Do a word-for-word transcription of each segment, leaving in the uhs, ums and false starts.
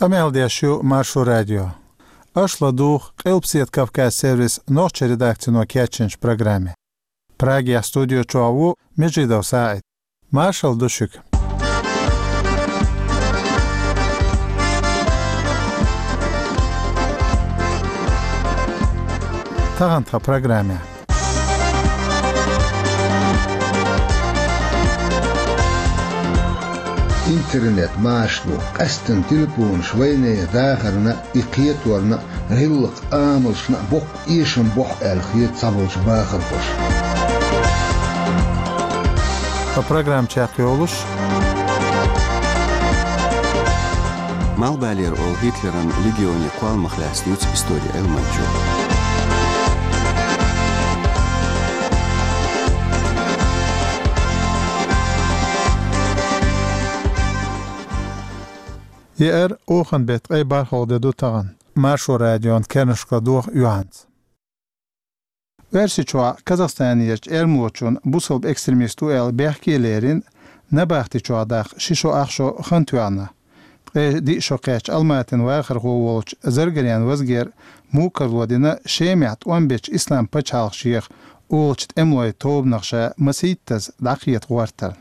Къамел деш ю Маршо радио. Аша ладугӀу Къилбседа Кавказ сервисан нохчийн редакцино кечйинчу программе. Прагехь студи чохь ву Межидов СаӀид. Маршалла ду шуьга. Тахана тхан программехь. Интернет маша ду, къаьсттина телефонаш вайнехан дахарна а, и кхеторна а, гӀиллакх-амалшна а боккха эшам бохьу аьлла хета цхьаболчу бахархоша. Тхан программа чекхйолуш. Малхбалера олу Гитлеран легионе кхолламах лаьцна юьцу историн Ӏилманчо. Еара, оханан беттан ткъе бархӀалгӀа де ду тахана. Маршо радион керланашка ладогӀа юьхьанца. Оьрсийчохь Казахстанерчу эрмалочунна бусалба экстремист ву аьлла бехке лерина, набахти чохь даккха ши шо ах шо хан тоьхна. Ткъе диъ шо кхаьчча Алматин вахархо волчу Заргарян Вазгера мукарло дина Шемахь тӀом бечу ислам пачхьалкх шех олучу тӀемалойн тобанах ша масийттаза дӀакхета гӀортарна.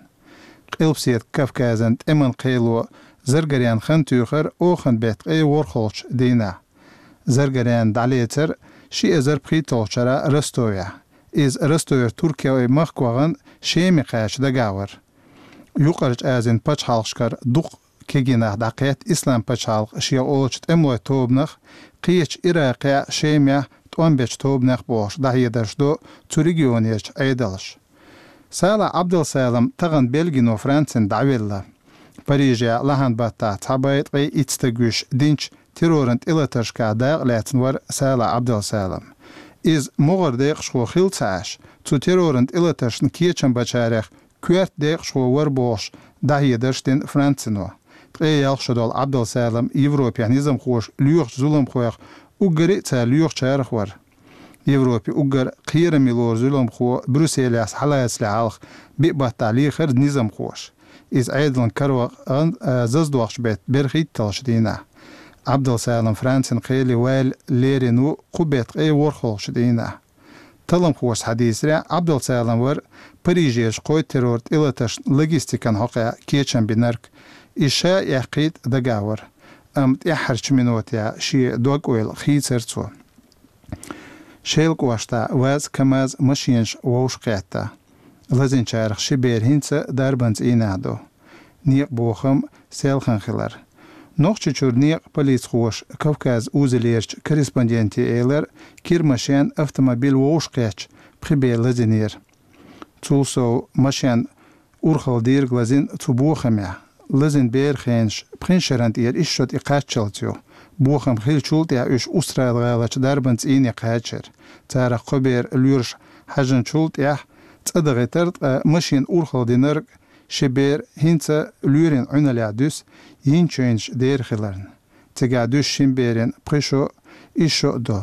Къилбседа Кавказан тӀеман кхело Заргарян хан туьйхира оханан беттан ткъе ворхӀалгӀачу дийнахь. Заргарян дӀалецира ши эзар пхийтталгӀачу шарахь Ростовехь. Иза Ростовера туркойн махка вахана Шеме кхача дагахь вара. Юкъарчу Азин пачхьалкхашкара дукха кегий нах дӀакхетта ислам пачхьалкх шех олучу тӀемалойн тобанах, кхечу Иракехь а, Шемехь а тӀом бечу тобанех а бохуш дӀахьедарш до цу регионерчу Ӏедалша. Салахь Ӏабдалсалам тахана Бельгино Францина дӀавелла. Парижехь лахьан баттахь цхьа бӀе ткъе итт стаг вуьйш динчу терроран тӀелатаршкахь дакъа лаьцна вара Салахь Ӏабдалсалам. Иза могӀара декъашхо хилла ца Ӏаш, цу терроран тӀелатаршна кечам бачарех коьрта декъашхо вара бохуш дӀахьедарш дина Францино. Ткъе ялх шо долу Ӏабдалсалам Европехь низамхоша лоьхучу зуламхойх уггаре а цара лоьхучарах вара. Европе уггар кхераме лору зуламхо Брюсселехь схьалацале хьалха биъ баттахь лехара низамхоша. Иза Ӏедалан каравакъа гӀан-, а, заздоккхучу беттан берхӀитталгӀачу дийнахь. Ӏабдалсалам Францин кхеле ваьлла лерина ву кху беттан ткъе ворхӀалгӀачу дийнахь. Талламхоша схьадийцарехь, Ӏабдалсалам вара Парижерчу кхойтта террор тӀелатаршна логистикан хьокъехь кечам бинарг. Иза ша а эккхийта дагахь вара, амма тӀаьххьарчу минотехь шен дог-ойла хийцара цо. Шелан кӀоштахь ВАЗ, КамАЗ машенаш вовшахкхетта. Лазийначарах ши бер хӀинца дарбан цӀийнехь ду. Некъан бохам селхана хилар. Нохчийчуьра некъан полицхоша Кавказ узалерчу корреспонденте элира, кира машен, автомобиль вовшахкхетча, пхи бер лазийнера. Цул сов машен урхалла дийриг лазийна цу бохамехь. Лазийна беран хенаш пхи шарна тӀера исс шо тӀе кхаччалц ю. Бохам хиллачул тӀаьхьа уьш Устрада-гӀаларчу дарбан цӀийне кхачара. Царах кхо бер лоьраш хьаьжначул тӀаьхьа цӀа дахийтира, ткъа машен урхалла динарг ши бер хӀинца лоьрийн Ӏуьналлехь дуьсу, йинчуьнаш дера хиларна. Цигахь дуьсу шина берийн пхи шо, исс шо а до.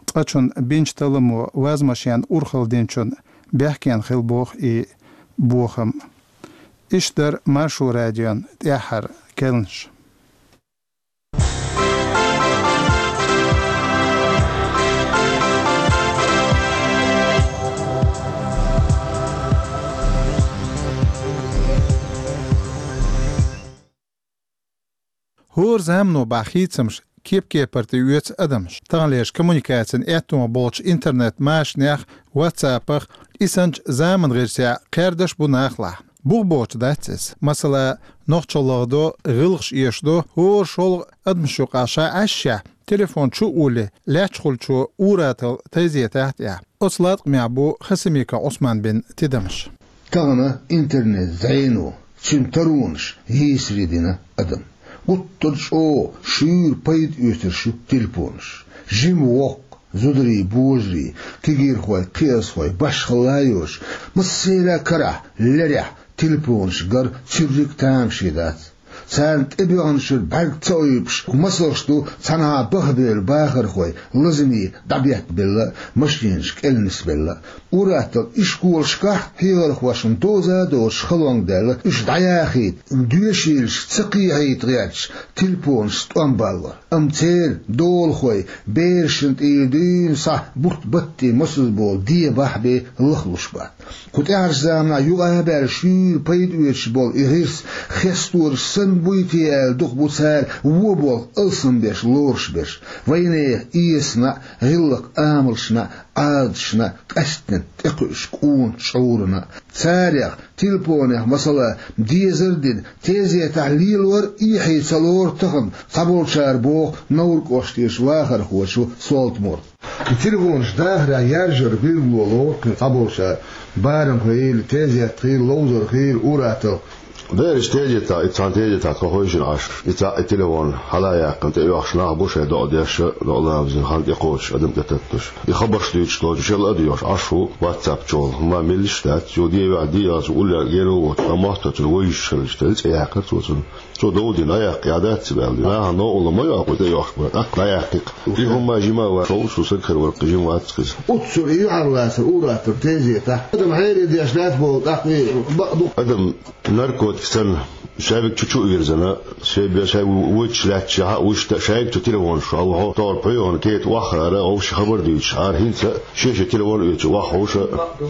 Цкъачунна бинчу талламо ВАЗ машен урхалла динчунна бехкенна хилла боху и бохам. Иштта дара Маршо радион тӀаьххьара керланаш. ХӀора замано бахьа хийцамаш кеп-кепара тӀеоьцу адамаш. Таханлерчу коммуникацин аьттома болчу интернет-машанех, WhatsApp-ах, исанчу заман гӀирсех кхаьрдаш бу нахалахь. Бух боцуш дац иза. Масала, нохчалла гӀо до, гӀиллакхаш эшадо, хӀора шолгӀа адамаш юкъахь ша Ӏашшехь, телефон чу а уллий, лаьтташ хуьлучо ур-атталла тайзе тахьа тӀехь. Оцу латкъамехь бу Хасимиков Ӏусман бина тидамаш. Тахана интернет зӀене, цуьнан таронаш йийсаре дина адам. Гуттар а чӀогӀа шуьйра пайда оьцурш ю телефонаш. Жима воккха, зударий, божарий, кегийрхой, кхиазхой, башхалла а йоцуш, массеран а карахь, лерехь телефонаш гар цуьрриг а тамаше дац. Царна тӀебоьгӀначуьра бӀарг ца ойбуш, масалш ду цхьанхьа бахабевлла бахархой, лазаме дӀабеттабелла, машенаш кӀел нисбелла. Ураоттал ишколашкахь хьехархошна доза а доцуш халонга даьлла, уьш дӀаяхийта, доьшийлаш ца кхехьийта гӀерташ, телефонашца тӀом баллар. Амма церан долахой, берашна тӀера дуьйна схьа бутт-батте мосазза болу ден бахьа бен лахлуш бац. Кху тӀаьхьарчу заманахь юкъа а баьлла шуьйра пайда оьцуш болу и гӀирс, хестораш санна буй те аьлла, дукха бу цара вон болх алсамбеш лоруш берш. Вайнехан эсана а, гӀиллакх-амалшна а, Ӏадаташна а къаьсттина тӀекхуьуш къона чкъурана а. Царех, телефонех, масала, дезар а дина, тезетахь лелор а эхье ца лору тахана, цхьаболчара боху Невран кӀоштарчу вахархочо Солтмурда. И телефонаш дахарехь яржар билгало лору кхин цхьаболчара, барамхо хилла, тезет хилла, ловзар хилла, ураоттал. Бераш тезетахь, и цхьана тезетахь тхо хевшина Ӏаш, и цхьаъ и телефон хьала а яьккхина тӀеоьхуш нах бу шайн догӀа деш а, догӀа ламазан хан тӀекхочуш, адам тӀетатташ. И хабарш дуьйцуш доцуш, шел а доьхуш Ӏаш ву WhatsApp чухула. Ма меллиш дац, цо де веа де яц, уллехь геро воцу, ткъа мотт а цуьнан вевзаш хилча, тӀе цӀе яьккхира цо цунна. Цо дов дина, дӀаяккха, я дац ца баьлла. Нахана новкъарло ма йоккху тӀеоьхуш бан, тӀаккха дӀаяккхи-кх. И хӀума жима а вац, ховш ву, сагахь вара кхин жима вац-кх иза. Оццул и юьхьарлацар ур-аттар тезетахь. Адам хьере деш дац боху, тӀаккха и бакъ ду. Адам наркотик санна, шаьвиг чу-чу а вирзина, шайн бен шайн ву-, вуьйцуш лаьтташехь а, вуьшта а шаьвиг цу телефонаш чу хьалха, тохара пхьоьгӀана кхета ваххара, вовшийн хабар дуьйцуш, ара хӀинца а шен-шен телефон оьцу ваххуша.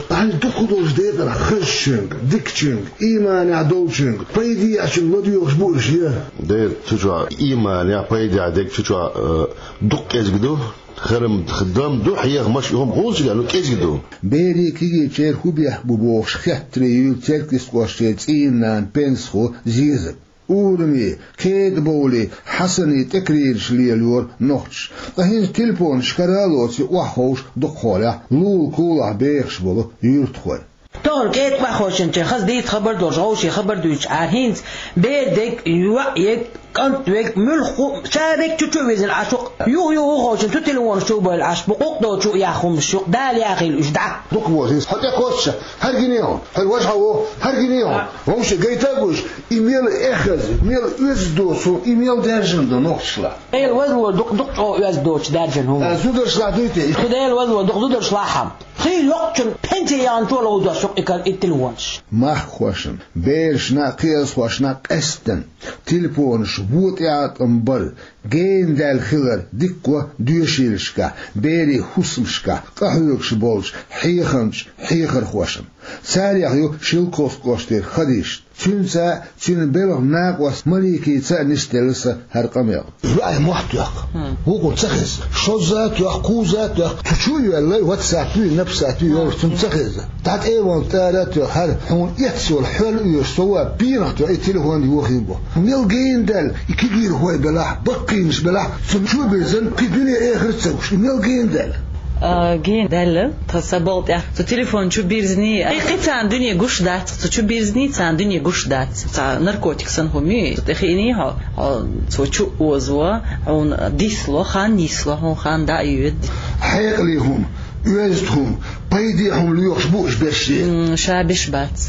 Ахьа дукха долчу декъана хазачуьнга, дикачуьнга, ийманехь долчуьнга, пайде а чуьнга ладоьгӀуш бу уьш, я? Дера, цу чохь ийманехь, пайдехь дерг цу чохь, э, дукха кӀезиг ду, хӀара-м дан ду, хьехамаш, и хӀума хӀунда ца деш, ну, кӀезиг ду. Берийн кегийчеран хӀун бехк бу бохуш хеттаре юьйцу Церкизкъоштан цӀийнан нана Пенсхо Зезага. Урами, кедабовлий, Хьасани тӀекарийраш лелайора нохчаша. Ткъа хӀинца телефонаш кара а лоций охьаховшу дукхахьолехь лулахь-кулахь бехаш болу юьртахой. Тохара кӀеда охьаховшинчеран хаза дийца хабар долуш, вовшийн хабар дуьйцуш Ӏара хӀинца, бер дерг, йоӀ ерг, кӀант верг, муьлхха а, ша дерг чу-чу а вирзина Ӏаш ву-кх. Юха-юха охьаховшина цу телефонаш чу а бевлла Ӏаш бу, къукъ доцу а яха хӀуманаш ю-кх, Дала яхийла уьш дӀа. Дукха боху иза. Хьо тӀекхоччуш, хӀара гиний хьуна, хьо ваьш хьо ву, хӀара гиний хьуна. Вовшийн гайта а гуш, и мел эхаза, мел оьзда доцу, и мел даьржина ду нохчашлахь. Дела возло дукха, дукха чӀогӀа оьзда доцуш даьржина хӀума. А, зударшлахь дуй те? Шу Дела возло дукха зударшлахь хьама. Хийла йоккхачун пенсий яханчо ловзош ю-кх и кар, и телефонаш. Махкахошна, берашна а, кхиазхошна а къаьсттина телефонаш вон тӀеӀаткъам бар, гена даьлла хилар дика го доьшийлашкахь, берийн хӀусамашкахь къахьоьгуш болчу хьехамчу хьехархошна. Царех ю Шелковски кӀоштара Хадишат. Цуьнца а, цуьнан белхан накъост Маликица а нисделла сан хӀара къамел. Вай мотт тоьхна. ХӀун? Вукхунна ца хеза. Шозза а тоьхна, кхузза а тоьхна. Цу чу а йоьллай, ватсаппий, напсаппий йолуш цунна ца хеза. ДӀатӀе а ван тӀара а тоьхна, хӀара хьуна эццахь хьол а оьшуш, со ван пенах тоьхна и телефон йохийна бу. Мел гена даьлла, и кегийрхой белахь, баккхийнаш белахь, цунна чу а бирзина, кхин дуьне эхарт а ца гуш. И мел гена даьлла. А, гена даьлла, тхан сан балха тӀехь. Цу телефон чу бирзиний, кхин, кхин царна дуьне гуш дац, цу чу бирзиний, царна дуьне гуш дац. Цхьа наркотик санна хӀума ю, цу тӀе хиъний хьо, хьо цо чу а озо, хьуна дисло, хан нисло, хьуна хан дӀа а йоьду. Хьекъале хӀума, оьзда хӀума, пайде хӀума лоьхуш бу уьш берш? М, ша беш бац.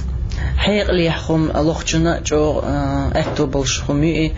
Хьекъале хӀума лохучунна а чӀогӀа, а, аьтто болуш хӀума ю и,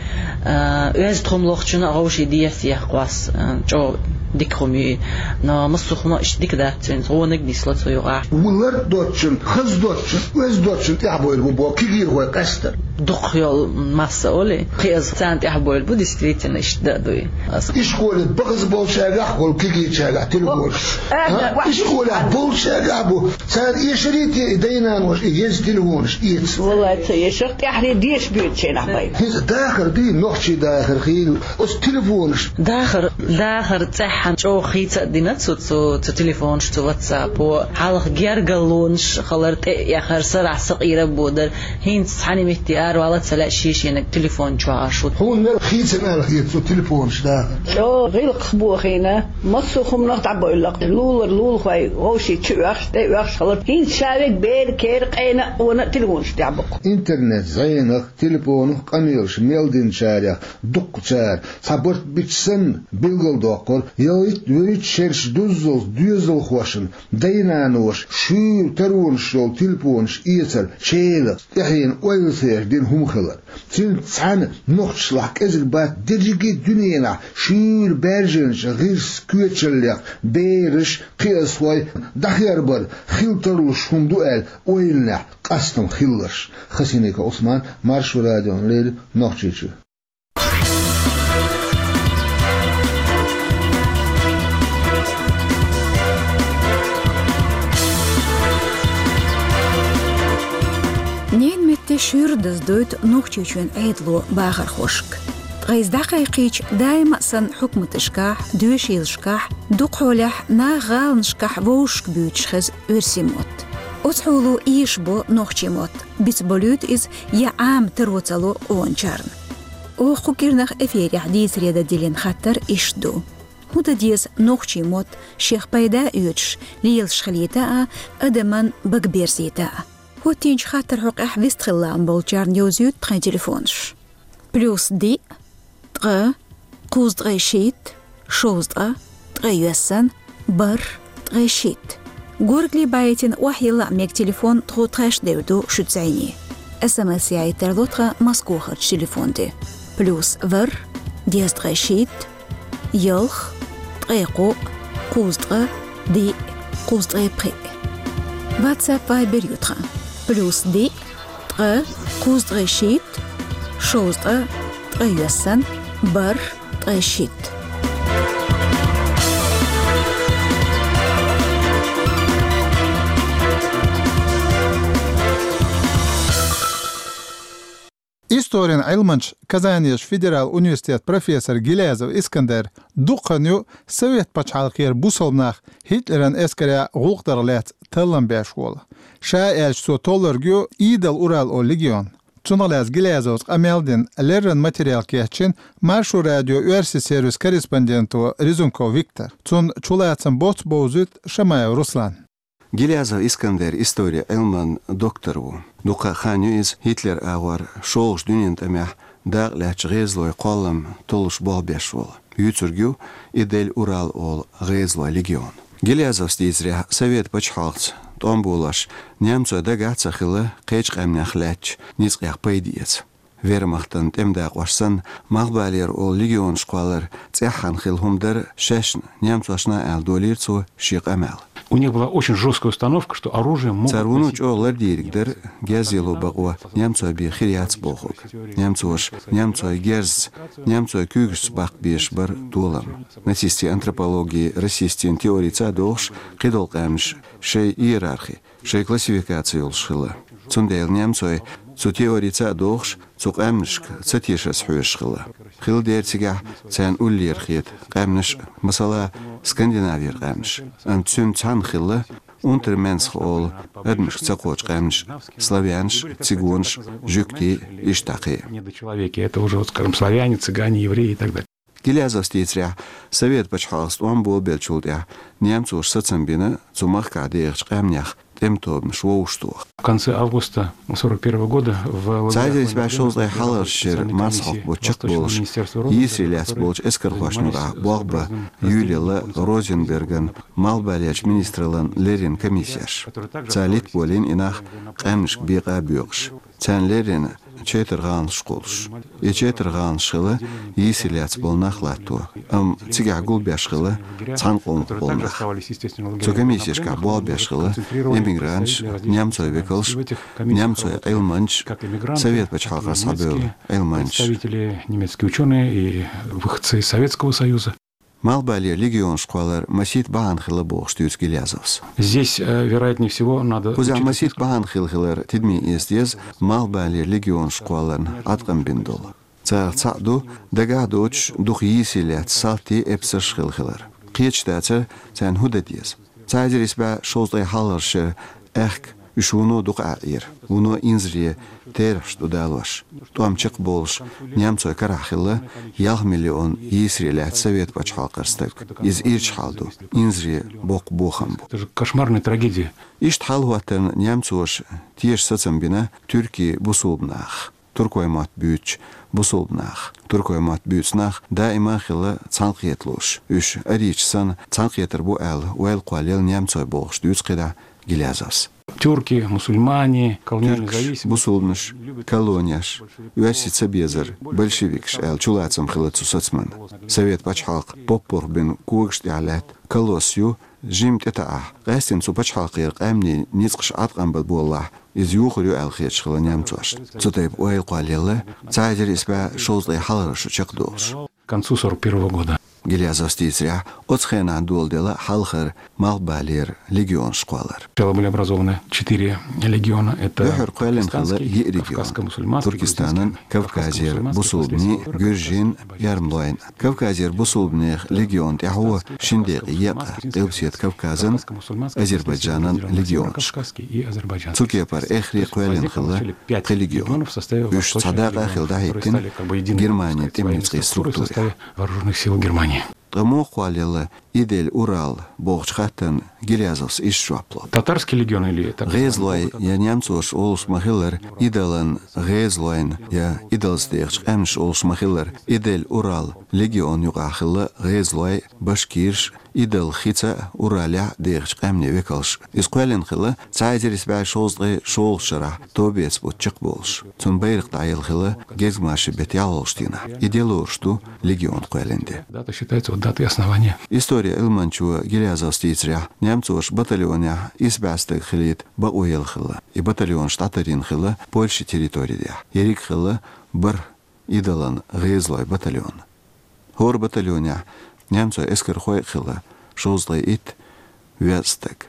а, оьзда хӀума лохучунна а вовшийн деза яхкъост, а, чӀогӀа дика хӀума ю и. Но массо а хӀума иштта дика дац цуьнца, вониг нисло цу юкъахь. Ву лар доцучун, хаза доцучун, оьзда доцучун тӀаьхьабойла бу боху кегийрхой къаьсттина. Дукха йолу масса олий, кхиаза царна тӀаьхьабойла бу, действительно, иштта дан а дуй. Ас ишколе бакъаза болчаьргахь а болу кегийчаьргахь телефон. Ага. А? Ишколехь болчаьргахь а бу. Цара эшаре те и дай-наноша и еза телефонаш эца? Валлай, ца эшар, тӀаьхьаре деша боьду шайнахь бай. ХӀинца дахар дий, нохчийн дахар хилла оцу телефонаш? Дахар, дахар цӀеххьана чӀогӀа хийца а дина цу, цу, цу телефонаш, цу ватсапо. Хьалха гергарлонаш хилар, тӀе а эхар, сарахь сакъера а бодар. ХӀинца цхьана метте аравала а ца лаьа, шен-шена телефон чохь Ӏаш ву. Хьуна мел хийцина аьлла хета цу телефонаш дахар? ЧӀогӀа гӀиллакхах бохийна, массо а хӀуманах дӀабойла-кх. Лулара лулахой вовшийн чу оьхуш, тӀе оьхуш хилар. ХӀинца ша верг бер, кер, къена а, къона а телефонаш тӀехь бу-кх. Интернет зӀенах, телефонах къамелаш мел динчарех дуккхачара цхьа барт бича санна билгалдоккхура, ялхитта-вуьрхӀитта шераш дуззалц доьзалхошна дай-наноша шуьйра таронаш йолу телефонаш эцар челакх, тӀаьхьенан ойла ца еш хӀума хилар. Цуьнца цхьаьна нохчашлахь кӀезиг бац дерриге дуьненахь шуьйра баьржинчу гӀирс, коьчаллех бераш, кхиазхой дӀахербар хила тарлуш хӀума ду аьлла ойланехь къастам хилларш. Хасиника Ӏусман, Маршо радиона леррина, Нохчийчуьра. Ненан метте шуьйра даздойту Нохчийчоьнан Ӏедало бахархошка. Ткъа иза дӀакхайкхийча, даима а санна хьукматашкахь, доьшийлашкахь, дукхахьолехь наха гӀаланашкахь вовшашка буьйцуш хеза оьрсийн мотт. Оцу хьоло эшабо нохчийн мотт, бицболуьйту иза я Ӏама таро ца ло къоначарна. Оха кху кӀирнах эфирехь дийцаре дан диллина хаттар иштта ду: хӀун дан деза нохчийн мотт шех пайда а оьцуш, лелаш хилийта а, адаман бага берзийта а? ХӀоттийначу хаттаран хьокъехь вистхила лаам болчарна йовзуьйту тхайн телефонаш: плюс диъ, ткъа, кхузткъе шийтта, шовзткъа, ткъе йоьссан, бархӀ, ткъе шийтта. Горгали байтина охьайилла а мега телефон тхо тхаьш девр ду шуьца зӀене. СМС яийта тарло тхан Москвахарчу телефон тӀе: плюс ворхӀ, дезткъе шийтта, ялх, ткъе кхоъ, кхузткъа, диъ, кхузткъе пхиъ. WhatsApp, Viber ю тхан: плюс диъ, ткъа, кхузткъе шийтта, шовзткъа, ткъе йоьссан, бархӀ, ткъе шийтта. Историн Ӏилманча, Казанерчу федерал университетан профессор Гилязов Искандер дукха хан ю Совет пачхьалкхера бусалба нах Гитлеран эскарехь гӀуллакх дарх лаьцна таллам беш волу. Ша аьлча, цо толлург ю Идал-Урал олу легион. Цунах лаьцна Гилязовс къамел дина, леррина материал кечйина Маршо радион оьрсийн сервисан корреспонденто Резунков Виктора. Цунна чулацам боццу бовзуьйту Шамаев Руслана. Гилязов Искандер историн Ӏилман доктор ву. Дукха хан ю иза Гитлеран агӀор шолгӀачу дуьненан тӀамехь дакъа лаьцначу гӀезалойн кхоллам толлуш болх беш волу. Вуьйцург ю Идал-Урал олу гӀезалойн легион. Гилязовс дийцарехь, Совет пачхьалкхаца тӀом болош немцойн дагахь а ца хилла кхечу къаьмнех лаьттачу ницкъех пайда эца. Вермахтан тӀеман дакъош санна, Малхбалера олу легионаш кхоллар цӀеххьана хилла хӀума дара шаьшна, немцошна а, аьлла долийра цо шен къамел. У них была очень жёсткая установка, что оружием могут носить... Цара вуно чӀогӀа лардийриг дара герз яло бакъо немцойн бен хир яц бохург. Немцоша немцойн герзаца, немцойн куьйгашца баккха безаш бара толам. Нацистийн антропологи, расистийн теорица а догӀуш, кхидолу къаьмнаш шайн иерархи, шайн классификаци йолуш хилла. Цундела немцой цу теорица а догӀуш, цу къаьмнашка ца тешарца хьоьжуш хилла. Хилла дера цигахь царна уллера хета къаьмнаш, масала, Скандинавера къаьмнаш. Амма цуьнца цхьаьна хилла унтерменсх олу адамашка ца кхочу къаьмнаш: славянаш, цигонаш, жуьгтий, иштта кхин. Недочеловеки, это уже, вот, скажем, славяне, цыгане, евреи и так далее. Гилязовс дийцарехь, Совет пачхьалкхаца тӀом болабеллачул тӀаьхьа немцоша сацам бина цу махкахь дехачу къаьмнех тӀеман тобанаш вовшахтоха. В конце августа сорок первого года в лагерях... Цхьа эзар исс бӀе шовзткъе хьалхарчу шеран марсхьокху бутт чекхболуш, йийсаре лаьцна болчу эскархошна юкъахь болх бан юьйлаелла Розенберган, Малхбалерчу министраллан леррина комиссеш. Цара литта болийна и нах къаьмнашка бекъа а боькъуш. Царна леррина четар гӀаланаш кхуллуш. И четар гӀаланаш хилла йийсаре лаьцна болу нах латто, амма цигахь гулбеш хилла цхьана къомах болу нах. Цу комиссешкахь болх беш хилла эмигранташ, немцойн векалш, немцойн Ӏилманчаш, Совет пачхьалкхера схьабевлла Ӏилманчаш. Представители, немецкие учёные и выходцы из Советского Союза. Малхбалера легионаш кхоллар масийтта бахьана хилла бохуш дуьйцу Гилязовс. Здесь, э, вероятнее всего, надо учитывать несколько... Кхузахь масийтта бахьана хилла хилар тидаме эца деза Малхбалера легионаш кхолларна Ӏаткъам бина долу. Царах цхьаъ ду дагахь а доцуш дукха йийсаре лаьцна салтий, эпсарш хилла хилар. Кхеташ дацара, царна хӀун дан деза. Цхьа эзар исс бӀе шовзткъе хьалхарчу шеран аьхка уьш вуно дукха Ӏаьхьира, вуно инзаре терахьаш ду далош. ТӀом чекхболуш, немцойн карахь хилла ялх миллион йийсаре лаьцна Совет пачхьалкхера стаг. Иза ирча хьал ду, инзаре боккха бохам бу. Это же кошмарная трагедия. Иштта хьал хӀоттарна немцоша теша сацам бина туьркийн бусулба нахах. Туркойн мотт буьйцучу бусулба нахах. Туркойн мотт буьйцу нах даима а хилла цхьаьнакхеталуш. Уьш арийча санна цхьаьнакхетар бу аьлла, ойла кхоллаелла немцойн бохуш дуьйцу кхидӀа Гилязовс. Тюрки, мусульмане, колониальная Тюркаш, зависимость. Бусулбанаш, колонеш, оьрсий цабезар, большевикаш аьлла чулацам хилла цу сацамна. Совет пачхьалкх поппаргбина когаш тӀехьа лаьтта колосс ю, жимма тӀетаӀахь, къаьстина цу пачхьалкхера къаьмнийн ницкъаш Ӏаткъам бан боллахь, иза юхур ю аьлла хеташ хилла немцошна. Цу тайпа ойла кхоллаелла цхьа эзар исс бӀе шовзткъе хьалхарчу шарахь чекхдолуш. К концу сорок первого года. Гилязовс дийцарехь, оцу хенахь доладелла хьалхара малхбалера легионаш кхоллар. Сначала были образованы четыре легиона. Это Юьхьар кхоьллина хилла Туркестанский, йиъ регион: Кавказско-мусульманский, Туркестанан, Грузинский, Кавказера Кавказско-мусульманский, бусулбанийн, Северо-Кавказский, гуьржийн, Эрмалойн. Кавказера бусулбанех легион тӀаьхьо шина декъе екъна Къилбаседа Кавказан, Азербайджанан легионашка. Цу кепара эххар кхоьллина хилла пхи легион. Уьш цхьа дакъа хилла дӀахӀиттина Германин тӀеман ницкъийн структурехь. Вооруженных сил Германии. Ткъа муха кхоллаелла Идель-Урал бохучу хаттарна Гилязовс иштта жоп ло. Татарский легион или так называемый ГӀезалой, я немцоша олуш ма-хиллара, Идалан гӀезалойн, я Идалца дехачу къаьмнаша олуш ма-хиллара, Идель-Урал легион юкъахь хилла гӀезалой, башкираш, Идал хица а, Уралехь а дехачу къаьмнийн векалш. Иза кхоьллина хилла цхьа эзар исс бӀе шовзткъе шолгӀачу шарахь, товбеца бутт чекхболуш. Цуьнан байракх дӀаелла хилла гезгмашин беттан ялхолгӀачу дийнахь. И де лоруш ду легион кхоьллина де. Дата считается вот датой основания. Историн Ӏилманчо Гилязовс дийцарехь, немцоша батальонехь исс бӀе стаг хилийта бакъо елла хилла. И батальонаш дӀатарйина хилла Польшин территори тӀехь. Ерриг хилла бархӀ Идалан гӀезалойн батальон. ХӀора батальонехь немцойн эскархой а хилла шовзткъе итт везткъа стаг.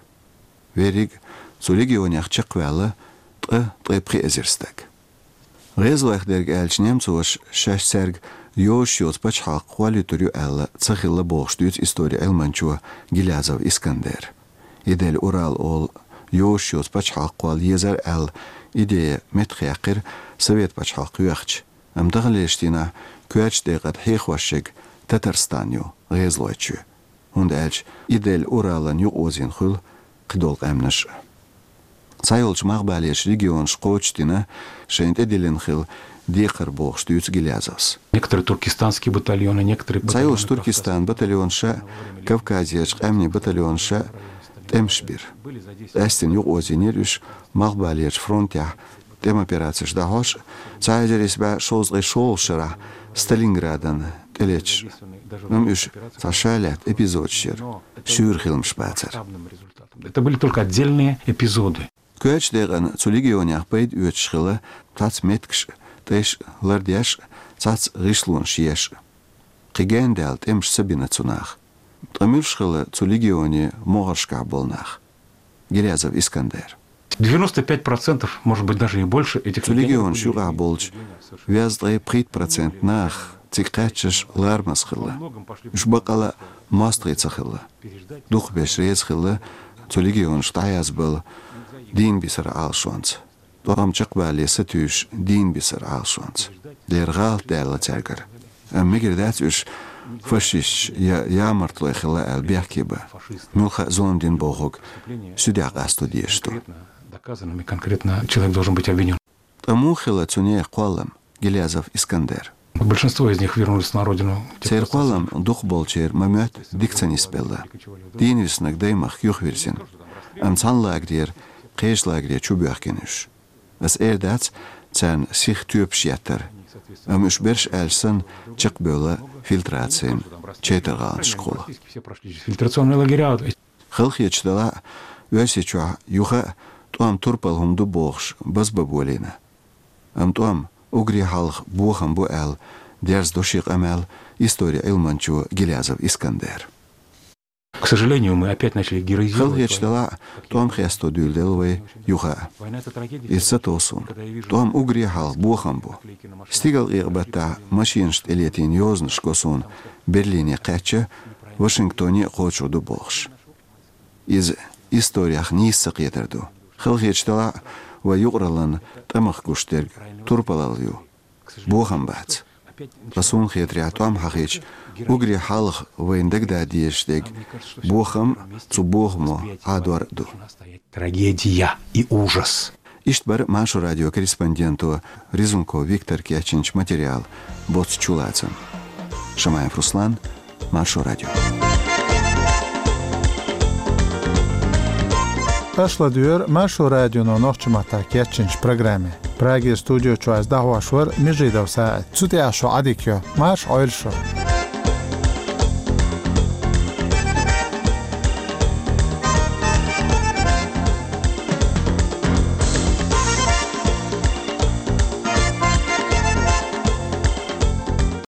Верриг цу легионех чекхваьлла ткъа, ткъе пхи эзар стаг. ГӀезалойх дерг аьлча, немцоша шаьш цаьрга йозуш йоцу пачхьалкх кхоллуьйтур ю аьлла ца хилла бохуш дуьйцу историн Ӏилманчо Гилязов Искандера. Идель-Урал олу йозуш йоцу пачхьалкх кхолла езара аьлла идея меттахъяьккхира Совет пачхьалкх йоьхча. Амма таханлерчу дийнахь коьртачу декъана хьехош ерг Татарстан ю, гӀезалойн чоь. ХӀунда аьлча Идель-Уралан юкъаозийна хуьлу кхидолу къаьмнаш а. Цхьайолчу малхбалерчу регионаша кхочушдина шайна тӀедиллина хилла декхар бохуш дуьйцу Гилязовс. Некоторые туркестанские батальоны, некоторые батальоны Цхьайолчу Туркестанан батальонаша, Кавказерчу къаьмнийн батальонаша тӀемаш бира. Къаьстина юкъаозийнера уьш малхбалерчу фронтехь тӀеман операцеш дӀахьош, цхьа эзар исс бӀе шовзткъе шолгӀачу шарахь Сталинградан тӀелеташ. Амма уьш цхьа ша лаьтта эпизодаш яра, шуьйра хиламаш бацара. Это были только отдельные эпизоды. Коьртачу декъана цу легионех пайда оьцуш хилла цхьацца меттигаш а, тӀеш а лардеш а, цхьацца гӀишлонаш еш а. Кхин гендаьлла тӀемаш ца бина цу наха. Ткъа муьлш хилла цу легионийн могӀаршкахь болу нах? Гилязов Искандер. Девяносто пять процентов, может быть, даже и больше этих людей были... Цу легионаш юкъахь болчу везткъе пхийтта процент нах цига кхаьчнарш ларамаза хилла. Уьш баккъала а мостагӀий ца хилла. Дукхахберш реза хилла цу легионашка дӀахьаьзза болу дийна бисаран Ӏалашонца. ТӀом чекхбалале сатуьйсуш дийна бисаран Ӏалашонца. Дера гӀалат даьлла цаьргара. Амма мегар дац уьш фашисташ я ямартлой хилла аьлла бехке бан. Муьлхха а зулам дина бохург суьдехь къасто дезаш ду. Доказанными конкретно человек должен быть обвинён. Ткъа муха хилла цу нехан кхоллам, Гилязов Искандер? Большинство из них вернулись на родину. Церан кхоллам дукхахболчеран ма-моьтту дика ца нисбелла. Дийна виснарг даймахка юхавирзина. Амма цхьана лагерера кхечу лагере чу боьхкина уьш. Ас эр дац царна сиха тоьпаш еттар, амма уьш берш аьлча санна чекхбевлла фильтрацин чайтаргӀаланашкахула. Фильтрационные лагеря. Халахеташ делахь а, Оьрсийчохь юха а тӀом турпал хӀума ду бохуш базбан болийна. Амма тӀом уггаре хьалха бохам бу аьлла, дерзадо шен къамел историн Ӏилманчо Гилязов Искандер. К сожалению, мы опять начали героизировать войну. Халахеташ делахь а, тӀом хесто дуьйладелла вай юха а. Иза ца тов суна. ТӀом уггаре хьалха бохам бу. Стигалкъекъа-баттахь машинашна тӀелетийна йозанаш го суна Берлине кхаьчча, Вашингтоне а кхочур ду бохуш. Иза историх нийса ца кхетар ду. Халахеташ делахь а, вай юкъараллина тӀамах гуш дерг турпалалла ю. Бохам бац. Ткъа суна хетарехь, тӀом хьахийча, уггаре хьалха вайна дагадан дезаш дерг бохам, цу бохамо Ӏадор а ду. Трагедия и ужас. Иштта бара Маршо радион корреспонденто Резунков Виктора кечйинчу материалан боцу чулацам. Шамаев Руслан, Маршо радио. Аша ладувгӀа Маршо радионо нохчийн маттахь кечйинчу программе. Прагера студи чохь ас дӀахьош вара Межидов СаӀид. Цу тӀехь шун Ӏадика йо. Марша Ӏойла шу.